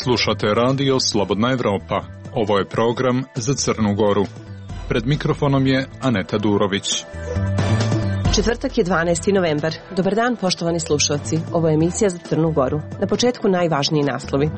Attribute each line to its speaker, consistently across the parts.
Speaker 1: Slušate radio Slobodna Evropa. Ovo je program za Crnu Goru. Pred mikrofonom je Aneta Durović.
Speaker 2: Četvrtak je 12. novembar. Dobar dan, poštovani slušalci. Ovo je emisija za Crnu Goru. Na početku najvažniji naslovi.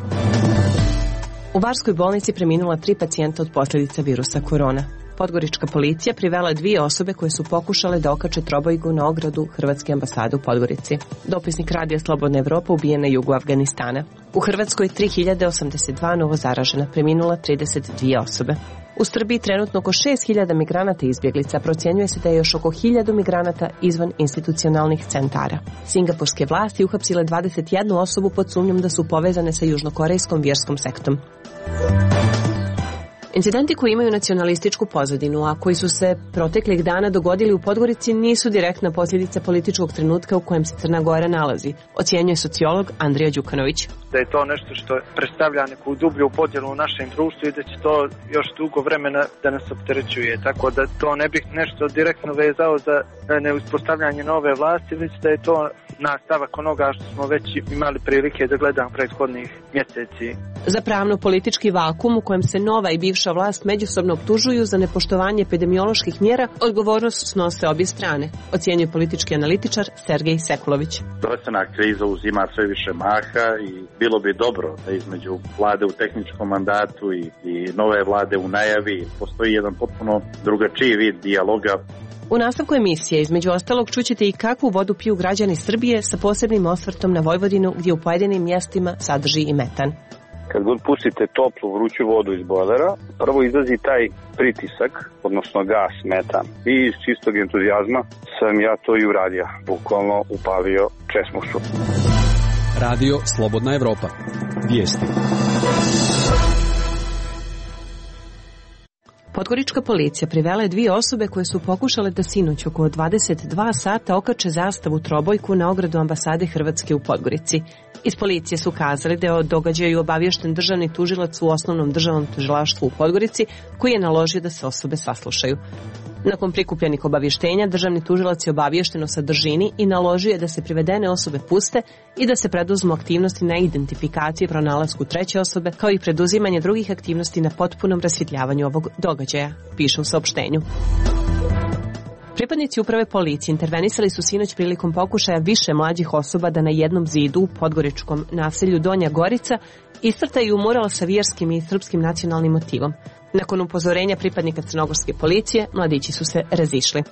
Speaker 2: U Barskoj bolnici preminula 3 pacijenta od posljedica virusa korona. Podgorička policija privela 2 osobe koje su pokušale da okače trobojku na ogradu Hrvatske ambasade u Podgorici. Dopisnik radija Slobodna Evropa ubijen na jugu Afganistana. U Hrvatskoj 3082 novo zaražena, preminula 32 osobe. U Srbiji trenutno oko 6000 migranata i izbjeglica, procjenjuje se da je još oko 1000 migranata izvan institucionalnih centara. Singapurske vlasti uhapsile 21 osobu pod sumnjom da su povezane sa južnokorejskom vjerskom sektom. Incidenti koji imaju nacionalističku pozadinu, a koji su se proteklih dana dogodili u Podgorici, nisu direktna posljedica političkog trenutka u kojem se Crna Gora nalazi, ocjenjuje sociolog Andrija Đukanović.
Speaker 3: Da je to nešto što predstavlja neku dublju podjelu u našem društvu i da će to još dugo vremena da nas opterećuje. Tako da to ne bih nešto direktno vezao za neuspostavljanje nove vlasti, već da je to nastavak onoga što smo već imali prilike da gledamo prethodnih mjeseci.
Speaker 2: Za pravno-politički vakum u kojem se nova i bivša vlast međusobno optužuju za nepoštovanje epidemioloških mjera, odgovornost snose obje strane, ocjenjuje politički analitičar Sergej Sekulović.
Speaker 4: Zdravstvena kriza uzima sve više maha i bilo bi dobro da između vlade u tehničkom mandatu i nove vlade u najavi postoji jedan potpuno drugačiji vid dijaloga.
Speaker 2: U nastavku emisije, između ostalog, čućete i kakvu vodu piju građani Srbije sa posebnim osvrtom na Vojvodinu, gdje u pojedinim mjestima sadrži i metan.
Speaker 5: Kad god pustite toplu, vruću vodu iz bojlera, prvo izlazi taj pritisak, odnosno gas, metan. I iz čistog entuzijazma sam ja to i uradio. Bukvalno upalio česmušu.
Speaker 6: Radio Slobodna Evropa. Vijesti.
Speaker 2: Podgorička policija privela je 2 osobe koje su pokušale da sinoć oko 22 sata okače zastavu trobojku na ogradu ambasade Hrvatske u Podgorici. Iz policije su kazali da je o događaju obaviješten državni tužilac u osnovnom državnom tužilaštvu u Podgorici, koji je naložio da se osobe saslušaju. Nakon prikupljenih obavještenja, državni tužilac je obaviješten o sadržini i naložio je da se privedene osobe puste i da se preduzmu aktivnosti na identifikaciji i pronalasku treće osobe, kao i preduzimanje drugih aktivnosti na potpunom rasvjetljavanju ovog događaja, piše u saopštenju. Pripadnici uprave policije intervenisali su sinoć prilikom pokušaja više mlađih osoba da na jednom zidu u podgoričkom naselju Donja Gorica iscrtaju mural sa vjerskim i srpskim nacionalnim motivom. Nakon upozorenja pripadnika crnogorske policije, mladići su se razišli.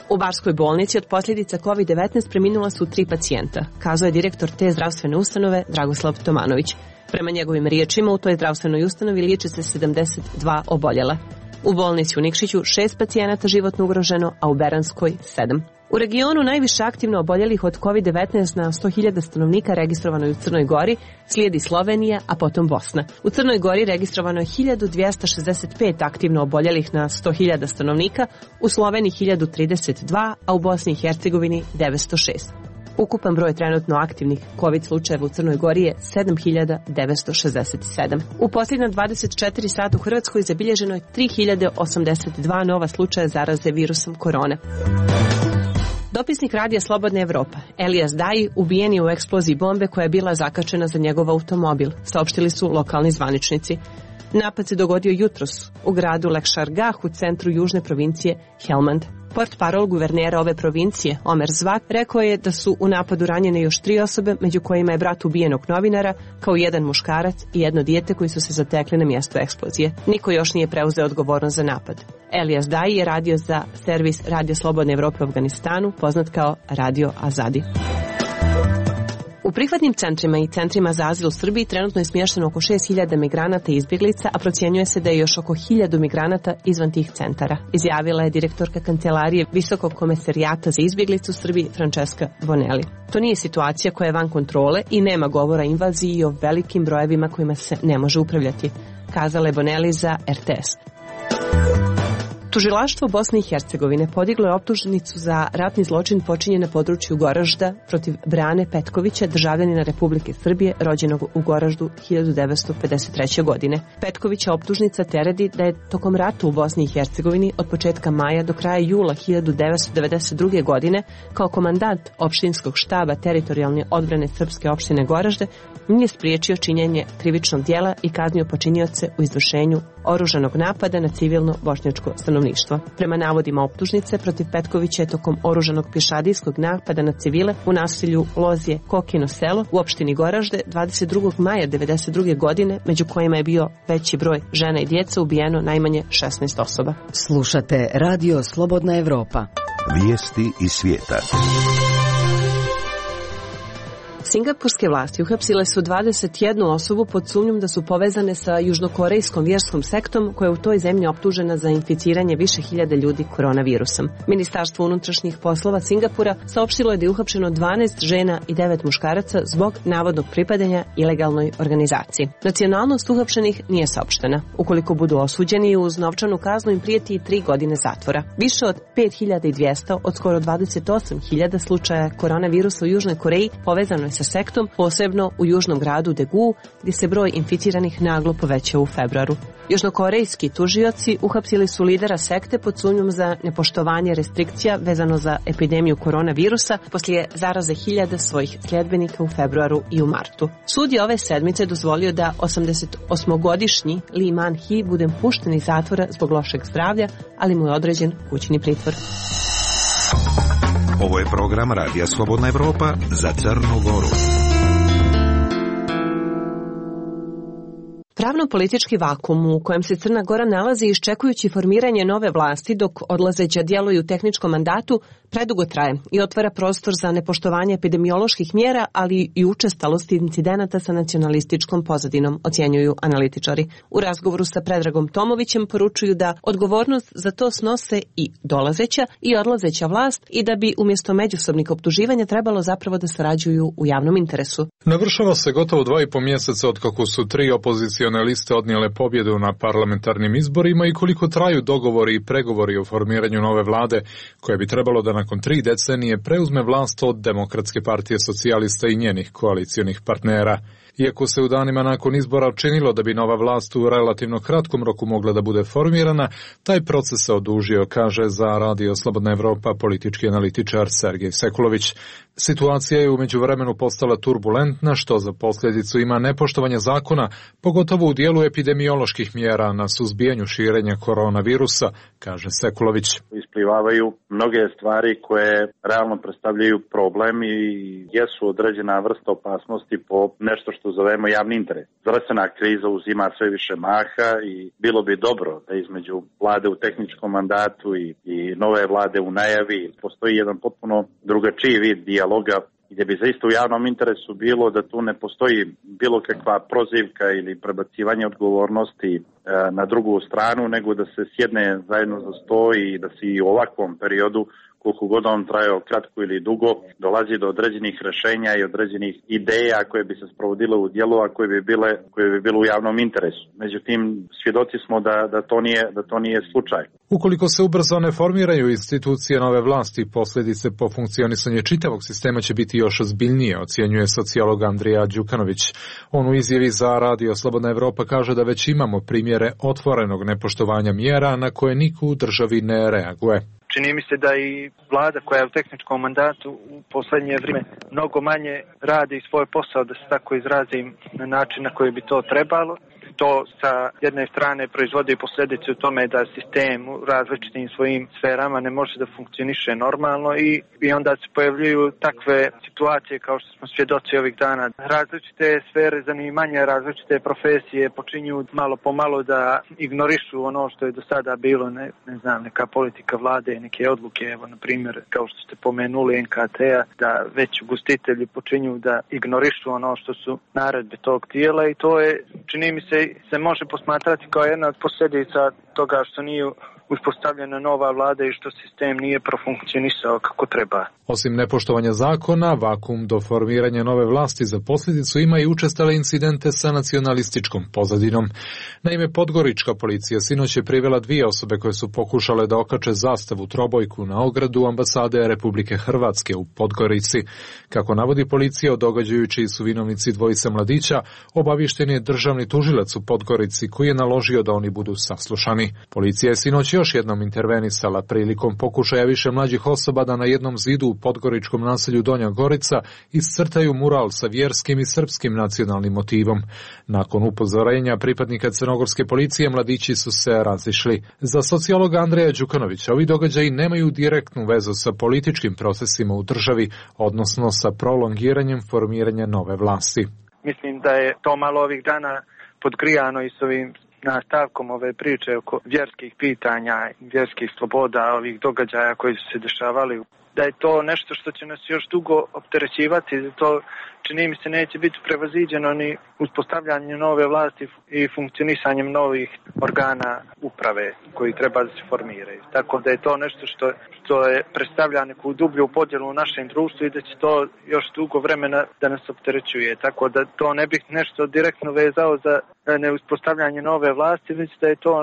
Speaker 2: U Barskoj bolnici od posljedica COVID-19 preminula su 3 pacijenta, kazao je direktor te zdravstvene ustanove Dragoslav Tomanović. Prema njegovim riječima, u toj zdravstvenoj ustanovi liječi se 72 oboljela. U bolnici u Nikšiću 6 pacijenata životno ugroženo, a u Beranskoj 7. U regionu najviše aktivno oboljelih od COVID-19 na 100.000 stanovnika registrovano je u Crnoj Gori, slijedi Slovenija, a potom Bosna. U Crnoj Gori registrovano je 1265 aktivno oboljelih na 100.000 stanovnika, u Sloveniji 1032, a u Bosni i Hercegovini 906. Ukupan broj trenutno aktivnih COVID slučajeva u Crnoj Gori je 7967. U posljednja 24 sata u Hrvatskoj zabilježeno je 3082 nova slučaja zaraze virusom korona. Dopisnik radija Slobodna Evropa, Elijas Daji, ubijen je u eksploziji bombe koja je bila zakačena za njegov automobil, saopštili su lokalni zvaničnici. Napad se dogodio jutros u gradu Lekšargah u centru južne provincije Helmand. Portparol guvernera ove provincije, Omer Zvak, rekao je da su u napadu ranjene još 3 osobe, među kojima je brat ubijenog novinara, kao i 1 muškarac i 1 dijete koji su se zatekli na mjesto eksplozije. Niko još nije preuzeo odgovornost za napad. Elijas Daji je radio za servis Radio Slobodne Evrope u Afganistanu, poznat kao Radio Azadi. U prihvatnim centrima i centrima za azil u Srbiji trenutno je smješteno oko 6000 migranata i izbjeglica, a procjenjuje se da je još oko 1000 migranata izvan tih centara, izjavila je direktorka kancelarije Visokog komesarijata za izbjeglicu u Srbiji Francesca Bonelli. To nije situacija koja je van kontrole i nema govora o invaziji i o velikim brojevima kojima se ne može upravljati, kazala je Bonelli za RTS. Tužilaštvo Bosne i Hercegovine podiglo je optužnicu za ratni zločin počinjen na području Goražda protiv Brane Petkovića, državljanina Republike Srbije, rođenog u Goraždu 1953. godine. Petkovića optužnica teredi da je tokom rata u Bosni i Hercegovini od početka maja do kraja jula 1992. godine kao komandant opštinskog štaba teritorijalne odbrane srpske opštine Goražde nije spriječio činjenje krivičnog djela i kaznio počinioce u izvršenju oružanog napada na civilno bošnjačko stanovništvo. Prema navodima optužnice, protiv Petkovića je tokom oružanog pješadijskog napada na civile u naselju Lozije Kokino selo u opštini Goražde 22. maja 1992. godine, među kojima je bio veći broj žena i djeca, ubijeno najmanje 16 osoba.
Speaker 7: Slušate Radio Slobodna Evropa.
Speaker 8: Vijesti iz svijeta.
Speaker 2: Singapurske vlasti uhapsile su 21 osobu pod sumnjom da su povezane sa južnokorejskom vjerskom sektom koja je u toj zemlji optužena za inficiranje više hiljada ljudi koronavirusom. Ministarstvo unutrašnjih poslova Singapura saopštilo je da je uhapšeno 12 žena i 9 muškaraca zbog navodnog pripadanja ilegalnoj organizaciji. Nacionalnost uhapšenih nije saopštena. Ukoliko budu osuđeni, uz novčanu kaznu im prijeti i 3 godine zatvora. Više od 5200 od skoro 28.000 slučaja koronavirusa u Južnoj Koreji povezano je sa sektom, posebno u južnom gradu Daegu, gdje se broj inficiranih naglo povećao u februaru. Južnokorejski tužioci uhapsili su lidera sekte pod sumnjom za nepoštovanje restrikcija vezano za epidemiju koronavirusa poslije zaraze hiljada svojih sljedbenika u februaru i u martu. Sud je ove sedmice dozvolio da 88-godišnji Lee Man-hee bude pušten iz zatvora zbog lošeg zdravlja, ali mu je određen kućni pritvor.
Speaker 8: Ovo je program Radija Slobodna Evropa za Crnu Goru.
Speaker 2: Pravno-politički vakum u kojem se Crna Gora nalazi iščekujući formiranje nove vlasti dok odlazeća djeluju u tehničkom mandatu predugo traje i otvara prostor za nepoštovanje epidemioloških mjera, ali i učestalost incidenata sa nacionalističkom pozadinom, ocjenjuju analitičari. U razgovoru sa Predragom Tomovićem poručuju da odgovornost za to snose i dolazeća i odlazeća vlast i da bi umjesto međusobnih optuživanja trebalo zapravo da sarađuju u javnom interesu.
Speaker 1: Navršava se gotovo 2,5 mjeseca od kako su 3 opozicione liste odnijele pobjedu na parlamentarnim izborima i koliko traju dogovori i pregovori o formiranju nove vlade koje bi trebalo da nakon 3 decenije preuzme vlast od Demokratske partije socijalista i njenih koalicionih partnera. Iako se u danima nakon izbora činilo da bi nova vlast u relativno kratkom roku mogla da bude formirana, taj proces se odužio, kaže za Radio Slobodna Evropa politički analitičar Sergej Sekulović. Situacija je u međuvremenu postala turbulentna, što za posljedicu ima nepoštovanje zakona, pogotovo u dijelu epidemioloških mjera na suzbijanju širenja koronavirusa, kaže Sekulović.
Speaker 4: Isplivavaju mnoge stvari koje realno predstavljaju problem i jesu određena vrsta opasnosti po nešto što zovemo javni interes. Zdravstvena kriza uzima sve više maha i bilo bi dobro da između vlade u tehničkom mandatu i nove vlade u najavi postoji jedan potpuno drugačiji vid dijaloga gdje bi zaista u javnom interesu bilo da tu ne postoji bilo kakva prozivka ili prebacivanje odgovornosti na drugu stranu, nego da se sjedne zajedno za sto i da se i u ovakvom periodu, koliko god on trajao kratko ili dugo, dolazi do određenih rješenja i određenih ideja koje bi se sprovodile u djelo, a koje bi bile u javnom interesu. Međutim, svjedoci smo da to nije slučaj.
Speaker 1: Ukoliko se ubrzo ne formiraju institucije nove vlasti, posljedice po funkcionisanje čitavog sistema će biti još ozbiljnije, ocjenjuje sociolog Andrija Đukanović. On u izjavi za Radio Slobodna Evropa kaže da već imamo primjere otvorenog nepoštovanja mjera na koje niko u državi ne reaguje.
Speaker 3: Čini mi se da i vlada koja je u tehničkom mandatu u posljednje vrijeme mnogo manje radi svoj posao, da se tako izrazim, na način na koji bi to trebalo. To sa jedne strane proizvodi posljedice u tome da sistem u različitim svojim sferama ne može da funkcioniše normalno i onda se pojavljuju takve situacije kao što smo svjedoci ovih dana. Različite sfere zanimanja, različite profesije počinju malo po malo da ignorišu ono što je do sada bilo, ne znam, neka politika vlade, neke odluke, evo na primjer kao što ste pomenuli NKT-a, da već ugostitelji počinju da ignorišu ono što su naredbe tog tijela i to je, čini mi se može posmatrati kao jedna od posljedica toga što nije uspostavljena nova vlada i što sistem nije profunkcionisao kako treba.
Speaker 1: Osim nepoštovanja zakona, vakum do formiranja nove vlasti za posljedicu ima i učestale incidente sa nacionalističkom pozadinom. Naime, podgorička policija sinoć je privela 2 osobe koje su pokušale da okače zastavu trobojku na ogradu ambasade Republike Hrvatske u Podgorici. Kako navodi policija, o događaju čiji su vinovnici dvojice mladića, obaviješten je državni tužilac u Podgorici koji je naložio da oni budu saslušani. Policija je sinoć još jednom intervenisala prilikom pokušaja više mlađih osoba da na jednom zidu u podgoričkom naselju Donja Gorica iscrtaju mural sa vjerskim i srpskim nacionalnim motivom. Nakon upozorenja pripadnika crnogorske policije, mladići su se razišli. Za sociologa Andreja Đukanovića ovi događaji nemaju direktnu vezu sa političkim procesima u državi, odnosno sa prolongiranjem formiranja nove vlasti.
Speaker 3: Mislim da je to malo ovih dana podgrijano i s ovim nastavkom ove priče oko vjerskih pitanja, vjerskih sloboda, ovih događaja koji su se dešavali, da je to nešto što će nas još dugo opterećivati, da to čini mi se neće biti prevaziđeno ni uspostavljanjem nove vlasti i funkcionisanjem novih organa uprave koji treba da se formiraju. Tako da je to nešto što je predstavlja neku dublju podjelu u našem društvu i da će to još dugo vremena da nas opterećuje. Tako da to ne bih nešto direktno vezao za neuspostavljanje nove vlasti, već da je to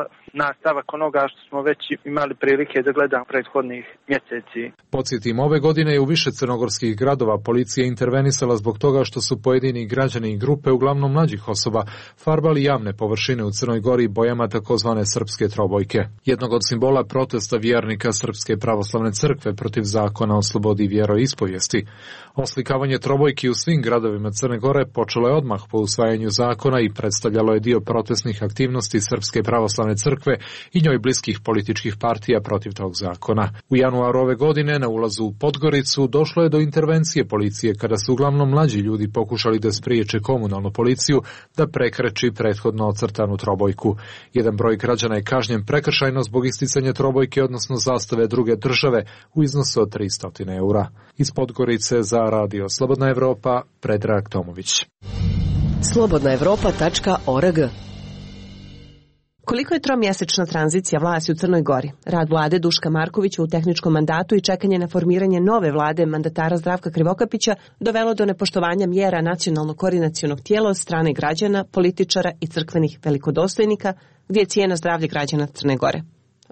Speaker 3: nastavak onoga što smo već imali prilike da gledamo prethodnih mjeseci.
Speaker 1: Podsjetim, ove godine je u više crnogorskih gradova policija intervenisala zbog toga što su pojedini građani i grupe, uglavnom mlađih osoba, farbali javne površine u Crnoj Gori bojama takozvane srpske trobojke. Jednog od simbola protesta vjernika Srpske pravoslavne crkve protiv zakona o slobodi vjeroispovijesti. Oslikavanje trobojki u svim gradovima Crne Gore počelo je odmah po usvajanju zakona i predstavljalo je dio protestnih aktivnosti Srpske pravoslavne crkve i njoj bliskih političkih partija protiv tog zakona. U januaru ove godine na ulazu u Podgoricu došlo je do intervencije policije kada su uglavnom mlađi ljudi pokušali da spriječe komunalnu policiju da prekreči prethodno ocrtanu trobojku. Jedan broj građana je kažnjen prekršajno zbog isticanja trobojke, odnosno zastave druge države u iznosu od 300 eura. Iz Podgorice za Radio Slobodna Evropa, Predrag Tomović.
Speaker 7: slobodnaevropa.org.
Speaker 2: Koliko je tromjesečna tranzicija vlasti u Crnoj Gori, rad vlade Duška Markovića u tehničkom mandatu i čekanje na formiranje nove vlade mandatara Zdravka Krivokapića dovelo do nepoštovanja mjera nacionalnog koordinacionog tijela od strane građana, političara i crkvenih velikodostojnika, gdje je cijena zdravlja građana Crne Gore?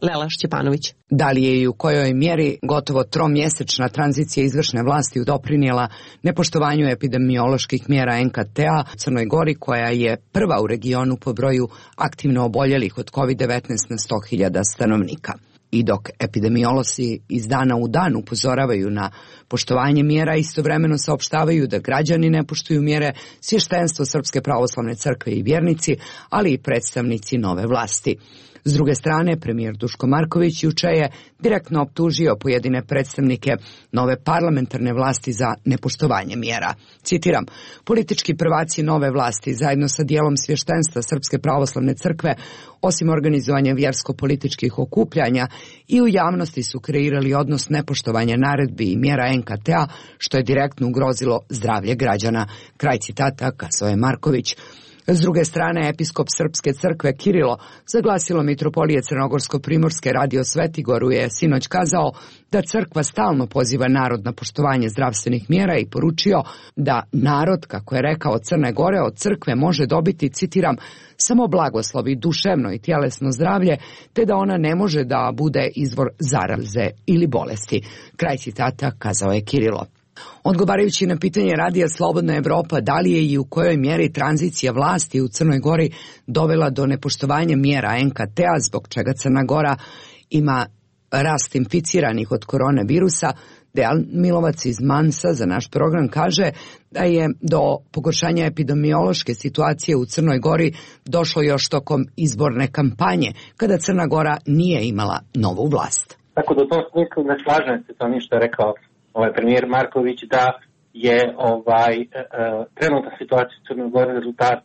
Speaker 2: Lela Šćepanović.
Speaker 9: Da li je i u kojoj mjeri gotovo tromjesečna tranzicija izvršne vlasti doprinijela nepoštovanju epidemioloških mjera NKT-a u Crnoj Gori, koja je prva u regionu po broju aktivno oboljelih od COVID-19 na 100.000 stanovnika? I dok epidemiolozi iz dana u dan upozoravaju na poštovanje mjera, istovremeno saopštavaju da građani ne poštuju mjere, svještenstvo Srpske pravoslavne crkve i vjernici, ali i predstavnici nove vlasti. S druge strane, premijer Duško Marković juče je direktno optužio pojedine predstavnike nove parlamentarne vlasti za nepoštovanje mjera. Citiram, politički prvaci nove vlasti zajedno sa dijelom svještenstva Srpske pravoslavne crkve, osim organizovanja vjersko-političkih okupljanja, i u javnosti su kreirali odnos nepoštovanja naredbi i mjera NKT-a, što je direktno ugrozilo zdravlje građana. Kraj citata, kazao je Marković. S druge strane, episkop Srpske crkve Kirilo, za glasilo Mitropolije Crnogorsko-Primorske Radio Svetigoru, je sinoć kazao da crkva stalno poziva narod na poštovanje zdravstvenih mjera i poručio da narod, kako je rekao, Crne Gore od crkve može dobiti, citiram, samo blagoslovi, duševno i tjelesno zdravlje, te da ona ne može da bude izvor zaraze ili bolesti. Kraj citata, kazao je Kirilo. Odgovarajući na pitanje Radija Slobodna Evropa da li je i u kojoj mjeri tranzicija vlasti u Crnoj Gori dovela do nepoštovanja mjera NKT-a, zbog čega Crna Gora ima rast inficiranih od koronavirusa, Dejan Milovac iz Mansa za naš program kaže da je do pogoršanja epidemiološke situacije u Crnoj Gori došlo još tokom izborne kampanje, kada Crna Gora nije imala novu vlast.
Speaker 10: Tako da u tom smislu ne slažem se to ništa rekao premijer Marković da je trenutna situacija u Crnoj Gori rezultat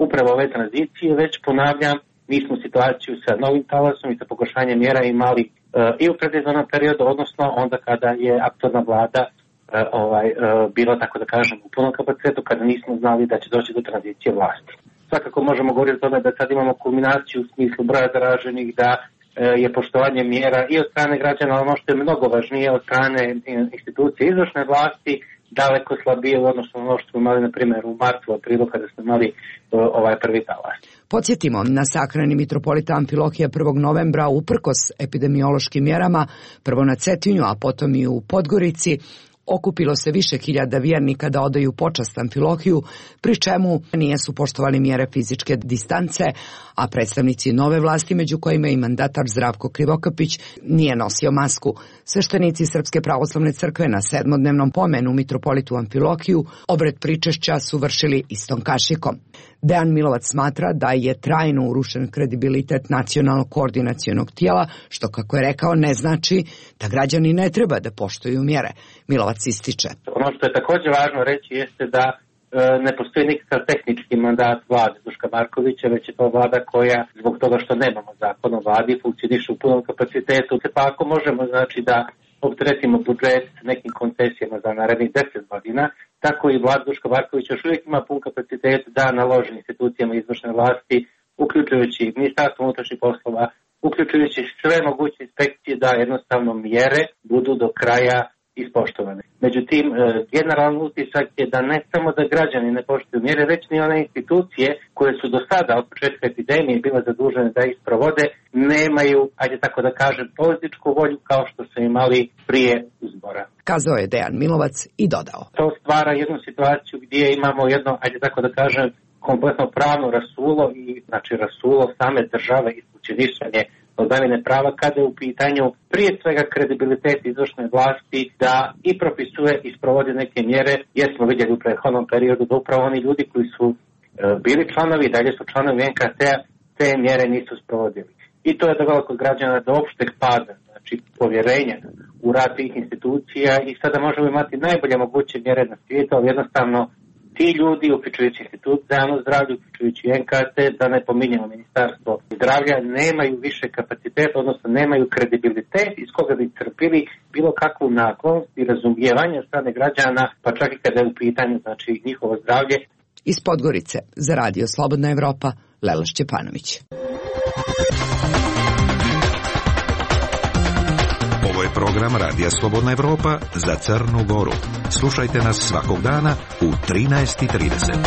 Speaker 10: upravo ove tranzicije, već ponavljam, mi smo situaciju sa novim talasom i sa pogoršanjem mjera imali i u predizbornom periodu, odnosno onda kada je aktualna vlada bila, tako da kažem, u punom kapacitetu, kada nismo znali da će doći do tranzicije vlasti. svakako možemo govoriti o tome da sad imamo kulminaciju u smislu broja zaraženih, da je poštovanje mjera i od strane građana, ali ono što je mnogo važnije od strane institucije izvršne vlasti, daleko slabije u odnosu na ono što smo imali, na primjer, u martu, aprilu, kada smo imali prvi talas.
Speaker 9: Podsjetimo, na sahrani mitropolita Amfilohija 1. novembra, uprkos epidemiološkim mjerama, prvo na Cetinju, a potom i u Podgorici, okupilo se više hiljada vjernika da odaju počast Amfilohiju, pri čemu nisu poštovali mjere fizičke distance, a predstavnici nove vlasti, među kojima i mandatar Zdravko Krivokapić, nije nosio masku. Sveštenici Srpske pravoslavne crkve na 7-dnevnom pomenu mitropolitu Amfilohiju obred pričešća su vršili istom kašikom. Dejan Milovac smatra da je trajno urušen kredibilitet nacionalnog koordinacionog tijela, što, kako je rekao, ne znači da građani ne treba da poštuju mjere. Milovac ističe.
Speaker 10: Ono što je također važno reći jeste da ne postoji nikakav tehnički mandat vlade Duška Markovića, već je to vlada koja, zbog toga što nemamo zakon o vladi, funkcioniše u punom kapacitetu. Pa ako možemo, znači, da opteretimo budžet nekim koncesijama za narednih 10 godina, tako i vlada Duška Markovića još uvijek ima pun kapacitet da naloži institucijama izvršne vlasti, uključujući Ministarstvo unutrašnjih poslova, uključujući sve moguće inspekcije, da jednostavno mjere budu do kraja ispoštovane. Međutim, generalan utisak je da ne samo da građani ne poštuju mjere, već ni one institucije koje su do sada od početka epidemije bile zadužene da ih sprovode, nemaju, ajde tako da kažem, političku volju kao što su imali prije izbora.
Speaker 9: Kazao je Dejan Milovac i dodao.
Speaker 10: To stvara jednu situaciju gdje imamo jedno, ajde tako da kažem, kompletno pravno rasulo i znači rasulo same države i funkcionisanje vladavine prava kada je u pitanju prije svega kredibilitet izvršne vlasti da i propisuje i sprovodi neke mjere, jer smo vidjeli u prethodnom periodu da upravo oni ljudi koji su bili članovi i dalje su članovi NKT-a te mjere nisu sprovodili. I to je dovelo kod građana do opšteg pada, znači povjerenja u rad tih institucija i sada možemo imati najbolje moguće mjere na svijetu, ali jednostavno ti ljudi, uključujući Institut za javno zdravlje, uključujući NKT, da ne pominjemo Ministarstvo zdravlja, nemaju više kapaciteta, odnosno nemaju kredibilitet iz koga bi crpili bilo kakvu naklonost i razumijevanje od strane građana, pa čak i kada je u pitanju, znači, njihovo zdravlje.
Speaker 9: Iz Podgorice za Radio Slobodna Evropa, Lela Šćepanović.
Speaker 8: Ovo je program Radija Slobodna Evropa za Crnu Goru. Slušajte nas svakog dana u 13:30.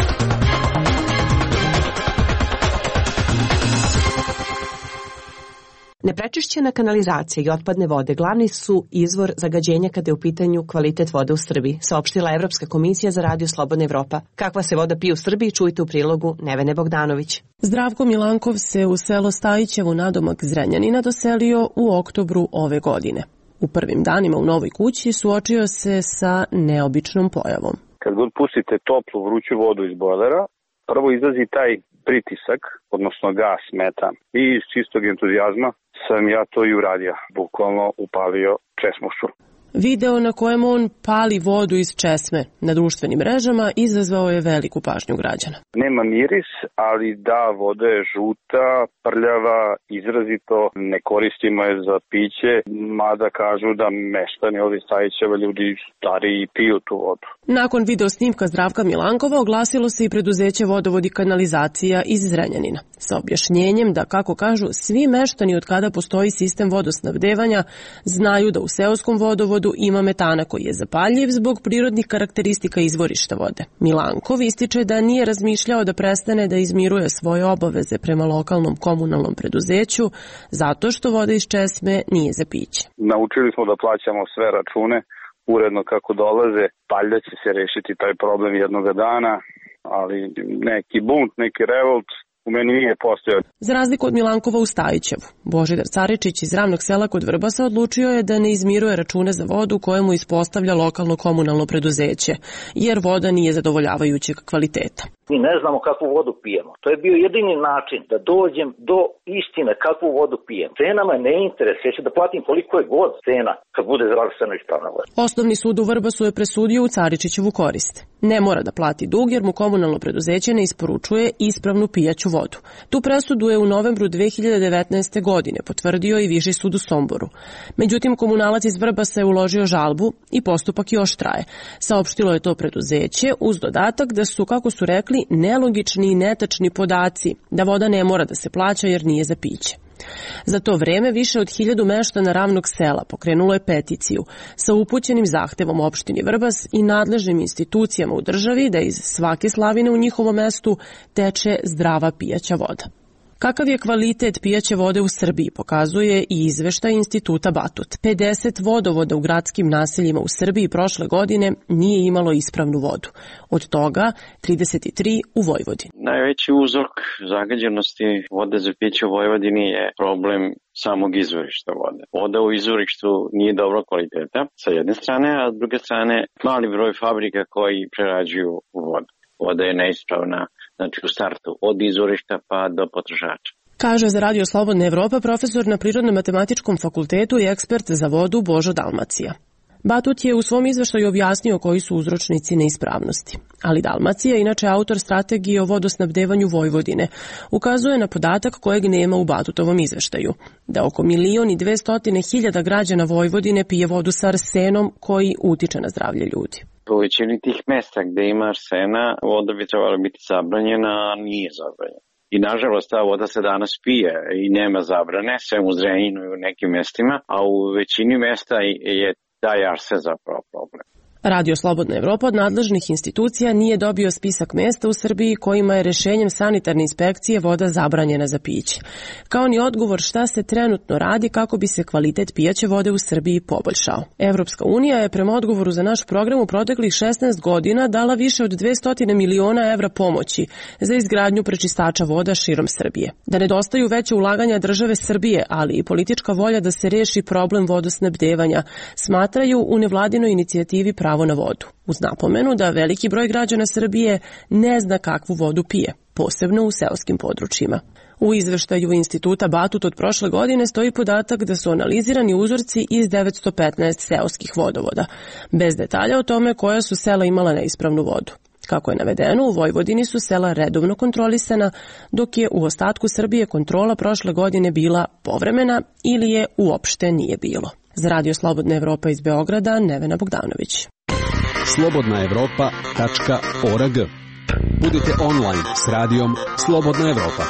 Speaker 2: Neprečišćena kanalizacija i otpadne vode glavni su izvor zagađenja kada je u pitanju kvalitet vode u Srbiji, saopštila Evropska komisija za Radio Slobodna Evropa. Kakva se voda pije u Srbiji, čujte u prilogu Nevene Bogdanović.
Speaker 11: Zdravko Milankov se u selo Stajićevo nadomak Zrenjanina doselio u oktobru ove godine. U prvim danima u novoj kući suočio se sa neobičnom pojavom.
Speaker 5: Kad god pustite toplu vruću vodu iz bojlera, prvo izlazi taj pritisak, odnosno gas, metan. I iz čistog entuzijazma sam ja to i uradio. Bukvalno upalio česmušu.
Speaker 11: Video na kojem on pali vodu iz česme na društvenim mrežama izazvao je veliku pažnju građana.
Speaker 5: Nema miris, ali da, voda je žuta, prljava, izrazito, ne koristimo je za piće, mada kažu da meštani ovdje Stajićeva ljudi stariji piju tu vodu.
Speaker 11: Nakon video snimka Zdravka Milankova oglasilo se i preduzeće Vodovod i kanalizacija iz Zrenjanina sa objašnjenjem da, kako kažu, svi meštani od kada postoji sistem vodosnabdevanja znaju da u seoskom vodovodu ima metana koji je zapaljiv zbog prirodnih karakteristika izvorišta vode. Milankov ističe da nije razmišljao da prestane da izmiruje svoje obaveze prema lokalnom komunalnom preduzeću zato što voda iz česme nije za piće.
Speaker 5: Naučili smo da plaćamo sve račune uredno kako dolaze, valjda će se rešiti taj problem jednog dana, ali neki bunt, neki revolt u meni nije postojao.
Speaker 11: Za razliku od Milankova u Stajićevu, Božidar Caričić iz Ravnog sela kod Vrbasa odlučio je da ne izmiruje račune za vodu koje mu ispostavlja lokalno komunalno preduzeće, jer voda nije zadovoljavajućeg kvaliteta.
Speaker 12: Mi ne znamo kakvu vodu pijemo. To je bio jedini način da dođem do istine kakvu vodu pijem. Cena me ne interesuje, ja ću da platim koliko je god cena kad bude zdravstveno ispravna voda.
Speaker 11: Osnovni sud u Vrbasu je presudio u Caričićevu korist. Ne mora da plati dug jer mu komunalno preduzeće ne isporučuje ispravnu pijaću vodu. Tu presudu je u novembru 2019. godine potvrdio i Viši sud u Somboru. Međutim, komunalac iz Vrbasa je uložio žalbu i postupak još traje. Saopštilo je to preduzeće uz dodatak da su, kako su rekli, bili nelogični i netačni podaci da voda ne mora da se plaća jer nije za piće. Za to vreme više od 1000 meštana Ravnog sela pokrenulo je peticiju sa upućenim zahtevom opštini Vrbas i nadležnim institucijama u državi da iz svake slavine u njihovom mestu teče zdrava pijaća voda. Kakav je kvalitet pijaće vode u Srbiji pokazuje i izveštaj Instituta Batut. 50 vodovoda u gradskim naseljima u Srbiji prošle godine nije imalo ispravnu vodu. Od toga 33 u Vojvodini.
Speaker 13: Najveći uzrok zagađenosti vode za piće u Vojvodini je problem samog izvorišta vode. Voda u izvorištu nije dobro kvaliteta sa jedne strane, a s druge strane mali broj fabrika koji prerađuju vodu. Voda je neispravna, znači u startu, od izvorišta pa do potrošača.
Speaker 11: Kaže za Radio Slobodna Evropa profesor na Prirodno-matematičkom fakultetu i ekspert za vodu Božo Dalmacija. Batut je u svom izveštaju objasnio koji su uzročnici neispravnosti. Ali Dalmacija, inače autor strategije o vodosnabdevanju Vojvodine, ukazuje na podatak kojeg nema u Batutovom izveštaju, da oko 1.200.000 građana Vojvodine pije vodu sa arsenom koji utiče na zdravlje ljudi.
Speaker 13: U većini tih mesta gde ima arsena, voda bi trebala biti zabranjena, a nije zabranjena. I nažalost ta voda se danas pije i nema zabrane, sve u Zrenjaninu i u nekim mestima, a u većini mesta je taj arsen zapravo problem.
Speaker 11: Radio Slobodna Evropa od nadležnih institucija nije dobio spisak mesta u Srbiji kojima je rešenjem sanitarne inspekcije voda zabranjena za piće. Kao ni odgovor šta se trenutno radi kako bi se kvalitet pijaće vode u Srbiji poboljšao. Evropska unija je prema odgovoru za naš program u proteklih 16 godina dala više od 200 miliona evra pomoći za izgradnju prečistača voda širom Srbije. Da nedostaju veće ulaganja države Srbije, ali i politička volja da se reši problem vodosnabdevanja, smatraju u nevladinoj inicijativi Pravo na vodu, uz napomenu da veliki broj građana Srbije ne zna kakvu vodu pije, posebno u seoskim područjima. U izveštaju Instituta Batut od prošle godine stoji podatak da su analizirani uzorci iz 915 seoskih vodovoda, bez detalja o tome koja su sela imala neispravnu vodu. Kako je navedeno, u Vojvodini su sela redovno kontrolisana, dok je u ostatku Srbije kontrola prošle godine bila povremena ili je uopšte nije bilo. Za Radio Slobodna Evropa iz Beograda, Nevena Bogdanović.
Speaker 6: slobodnaevropa.org. Budite online s radijom Slobodna Evropa.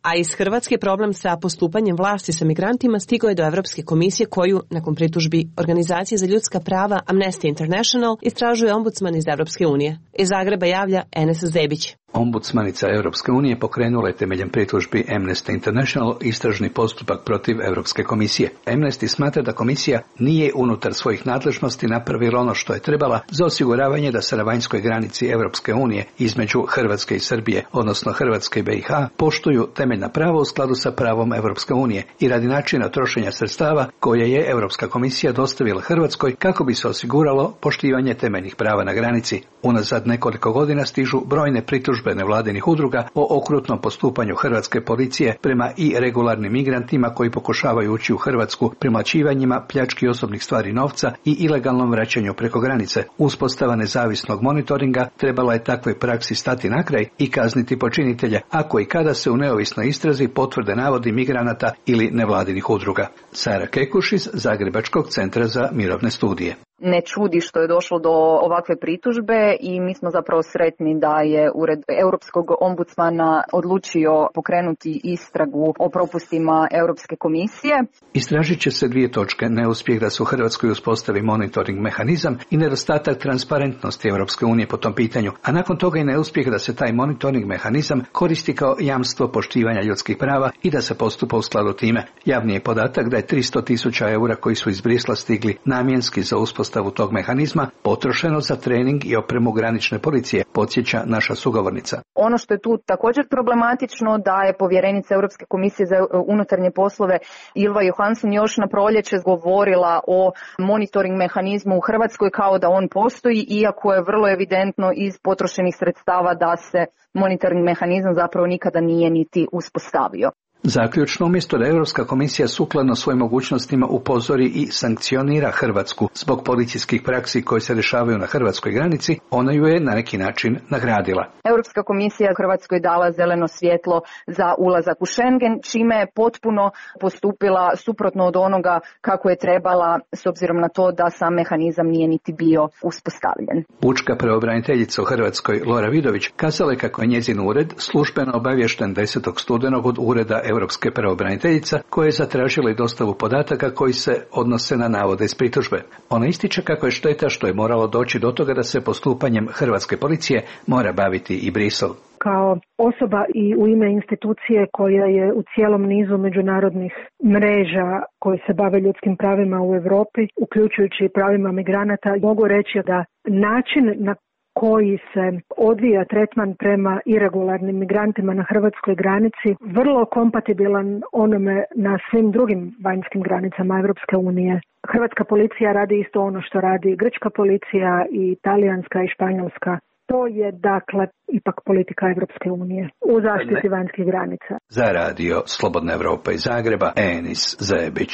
Speaker 2: A iz Hrvatske problem sa postupanjem vlasti sa migrantima stigao je do Evropske komisije koju, nakon pritužbi Organizacije za ljudska prava Amnesty International, istražuje ombudsman iz Evropske unije. Iz Zagreba javlja Enes Zebić.
Speaker 14: Ombudsmanica Europske unije pokrenula je temeljem pritužbi Amnesty International istražni postupak protiv Europske komisije. Amnesty smatra da komisija nije unutar svojih nadležnosti napravila ono što je trebala za osiguravanje da se na vanjskoj granici Europske unije između Hrvatske i Srbije, odnosno Hrvatske i BiH, poštuju temeljna prava u skladu sa pravom Europske unije i radi načina trošenja sredstava koje je Europska komisija dostavila Hrvatskoj kako bi se osiguralo poštivanje temeljnih prava na granici. Unazad nekoliko godina stižu brojne pritužbe nevladinih udruga o okrutnom postupanju hrvatske policije prema irregularnim migrantima koji pokušavaju ući u Hrvatsku premlaćivanjima, pljački osobnih stvari novca i ilegalnom vraćanju preko granice. Uspostava nezavisnog monitoringa trebala je takvoj praksi stati na kraj i kazniti počinitelje, ako i kada se u neovisnoj istrazi potvrde navodi migranata ili nevladinih udruga. Sara Kekuš iz Zagrebačkog centra za mirovne studije.
Speaker 15: Ne čudi što je došlo do ovakve pritužbe i mi smo zapravo sretni da je Ured Europskog ombudsmana odlučio pokrenuti istragu o propustima Europske komisije.
Speaker 14: Istražit će se 2 točke: neuspjeh da se u Hrvatskoj uspostavi monitoring mehanizam i nedostatak transparentnosti Europske unije po tom pitanju, a nakon toga i neuspjeh da se taj monitoring mehanizam koristi kao jamstvo poštivanja ljudskih prava i da se postupa u skladu time. Javni je podatak da je 300.000 eura koji su iz Brisla stigli namjenski za uspostavu tog mehanizma potrošeno za trening i opremu granične policije, podsjeća naša sugovornica.
Speaker 15: Ono što je tu također problematično da je povjerenica Europske komisije za unutarnje poslove Ylva Johansson još na proljeće govorila o monitoring mehanizmu u Hrvatskoj kao da on postoji, iako je vrlo evidentno iz potrošenih sredstava da se monitoring mehanizam zapravo nikada nije niti uspostavio.
Speaker 14: Zaključno, umjesto da Europska komisija sukladno svojim mogućnostima upozori i sankcionira Hrvatsku zbog policijskih praksi koje se dešavaju na hrvatskoj granici, ona ju je na neki način nagradila.
Speaker 15: Europska komisija Hrvatskoj dala zeleno svjetlo za ulazak u Schengen, čime je potpuno postupila suprotno od onoga kako je trebala, s obzirom na to da sam mehanizam nije niti bio uspostavljen.
Speaker 14: Pučka pravobraniteljica u Hrvatskoj Lora Vidović kazala je kako je njezin ured službeno obaviješten 10. studenog od ureda Europske pravobraniteljica koja je zatražila i dostavu podataka koji se odnose na navode iz pritužbe. Ona ističe kako je šteta što je moralo doći do toga da se postupanjem hrvatske policije mora baviti i Bruxelles.
Speaker 16: Kao osoba i u ime institucije koja je u cijelom nizu međunarodnih mreža koje se bave ljudskim pravima u Europi, uključujući i pravima migranata, mogu reći da način na koji se odvija tretman prema iregularnim migrantima na hrvatskoj granici vrlo kompatibilan onome na svim drugim vanjskim granicama Europske unije. Hrvatska policija radi isto ono što radi grčka policija i talijanska i španjolska. To je dakle ipak politika Europske unije u zaštiti vanjskih granica.
Speaker 14: Za radio Slobodna Evropa iz Zagreba, Enis Zebić.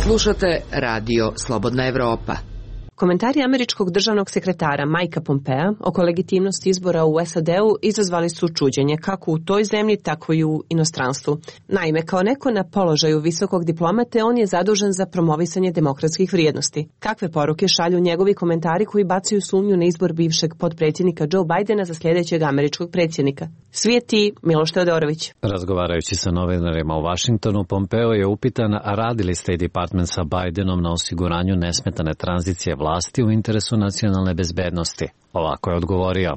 Speaker 7: Slušate radio Slobodna Evropa.
Speaker 2: Komentari američkog državnog sekretara Mikea Pompea oko legitimnosti izbora u SAD-u izazvali su čuđenje kako u toj zemlji, tako i u inostranstvu. Naime, kao neko na položaju visokog diplomate, on je zadužen za promovisanje demokratskih vrijednosti. Kakve poruke šalju njegovi komentari koji bacaju sumnju na izbor bivšeg potpredsjednika Joe Bidena za sljedećeg američkog predsjednika? Svijeti Miloš Teodorović.
Speaker 17: Razgovarajući sa novinarima u Washingtonu, Pompeo je upitan, a radi li State Department sa Bidenom na osiguranju nesmetane tranzicije vlasti u interesu nacionalne bezbednosti. Ovako je odgovorio.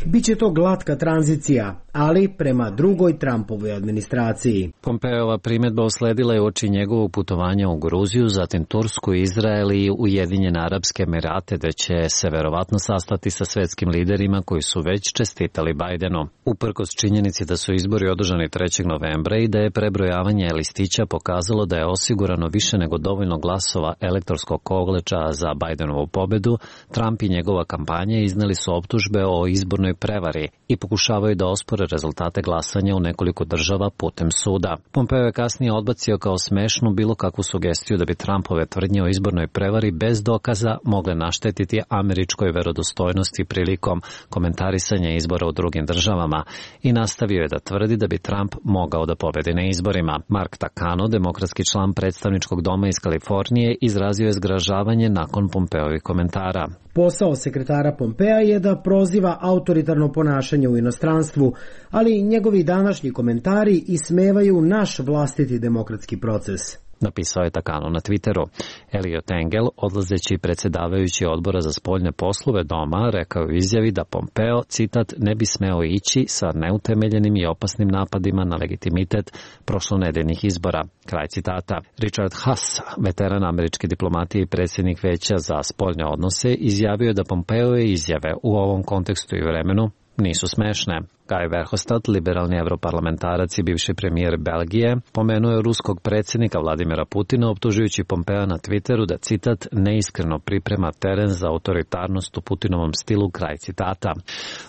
Speaker 18: Biće to glatka tranzicija, ali prema drugoj Trumpovoj administraciji.
Speaker 17: Pompeova primjedba usledila je uoči njegovog putovanja u Gruziju, zatim Tursku, Izrael i Ujedinjene Arapske Emirate, da će se verovatno sastati sa svetskim liderima koji su već čestitali Bidenu. Uprkos činjenici da su izbori održani 3. novembra i da je prebrojavanje listića pokazalo da je osigurano više nego dovoljno glasova elektorskog koleča za Bidenovu pobedu, Trump i njegova kampanja izneli su optužbe o izbornoj prevari i pokušavaju da ospore rezultate glasanja u nekoliko država putem suda. Pompeo je kasnije odbacio kao smešnu bilo kakvu sugestiju da bi Trumpove tvrdnje o izbornoj prevari bez dokaza mogle naštetiti američkoj verodostojnosti prilikom komentarisanja izbora u drugim državama i nastavio je da tvrdi da bi Trump mogao da pobedi na izborima. Mark Takano, demokratski član predstavničkog doma iz Kalifornije, izrazio je zgražavanje nakon Pompeovih komentara.
Speaker 18: Posao sekretara Pompea je da proziva autoritarno ponašanje u inostranstvu, ali njegovi današnji komentari ismevaju naš vlastiti demokratski proces.
Speaker 17: Napisao je Takano na Twitteru. Eliot Engel, odlazeći predsjedavajući odbora za spoljne poslove doma, rekao u izjavi da Pompeo, citat, ne bi smeo ići sa neutemeljenim i opasnim napadima na legitimitet prošlonedeljnih izbora. Kraj citata. Richard Haass, veteran američke diplomatije i predsjednik Veća za spoljne odnose, izjavio je da Pompeove izjave u ovom kontekstu i vremenu nisu smešne. Guy Verhofstadt, liberalni evroparlamentarac i bivši premijer Belgije, pomenuo je ruskog predsjednika Vladimira Putina optužujući Pompea na Twitteru da, citat, neiskreno priprema teren za autoritarnost u Putinovom stilu, kraj citata.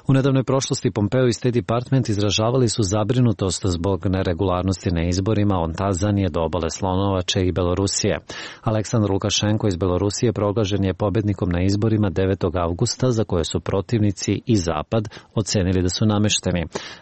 Speaker 17: U nedavnoj prošlosti Pompeo i State Department izražavali su zabrinutost zbog neregularnosti na izborima od Tanzanije do obale Slonovače i Belorusije. Aleksandar Lukašenko iz Belorusije proglašen je pobednikom na izborima 9. avgusta za koje su protivnici i Zapad ocenili da su namešteni.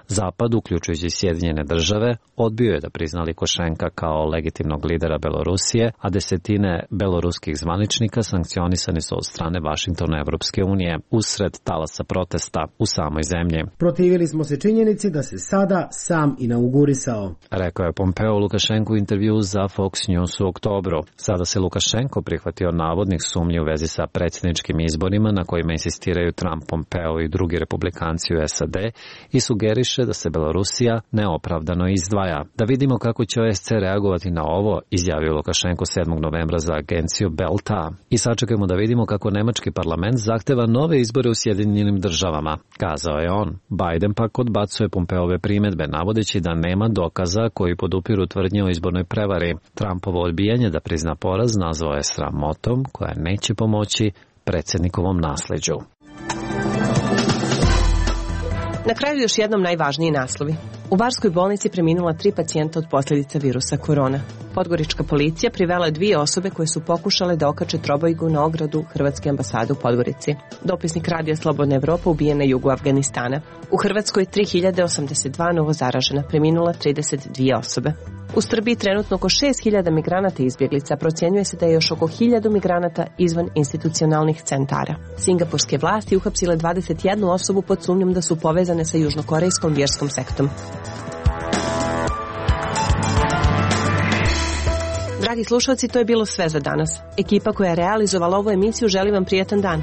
Speaker 17: Zapad, uključujući Sjedinjene države, odbio je da prizna Lukašenka kao legitimnog lidera Belorusije, a desetine beloruskih zvaničnika sankcionisani su od strane Vašingtona i Evropske unije usred talasa protesta u samoj zemlji.
Speaker 18: Protivili smo se činjenici da se sada sam inaugurisao,
Speaker 17: rekao je Pompeo Lukašenku u intervju za Fox News u oktobru. Sada se Lukašenko prihvatio navodnih sumnji u vezi sa predsjedničkim izborima na kojima insistiraju Trump, Pompeo i drugi republikanci u SAD i sugeriše da se Belorusija neopravdano izdvaja. Da vidimo kako će OSCE reagovati na ovo, izjavio Lukašenko 7. novembra za agenciju Belta. I sačekajmo da vidimo kako nemački parlament zahteva nove izbore u Sjedinjenim državama, kazao je on. Biden pak odbacuje Pompeove primjedbe, navodeći da nema dokaza koji podupiru tvrdnje o izbornoj prevari. Trumpovo odbijanje da prizna poraz nazvao je sramotom koja neće pomoći predsjednikovom nasleđu.
Speaker 2: Na kraju još jednom najvažniji naslovi. U Barskoj bolnici preminula 3 pacijenta od posljedica virusa korona. Podgorička policija privela je 2 osobe koje su pokušale da okače trobojgu na ogradu Hrvatske ambasade u Podgorici. Dopisnik Radija Slobodna Evropa ubijen na jugu Afganistana. U Hrvatskoj 3082 novo zaražena, preminula 32 osobe. U Srbiji trenutno oko 6000 migranata i izbjeglica, procjenjuje se da je još oko 1000 migranata izvan institucionalnih centara. Singapurske vlasti uhapsile 21 osobu pod sumnjom da su povezane sa južnokorejskom vjerskom sektom. Dragi slušalci, to je bilo sve za danas. Ekipa koja je realizovala ovu emisiju želi vam prijetan dan.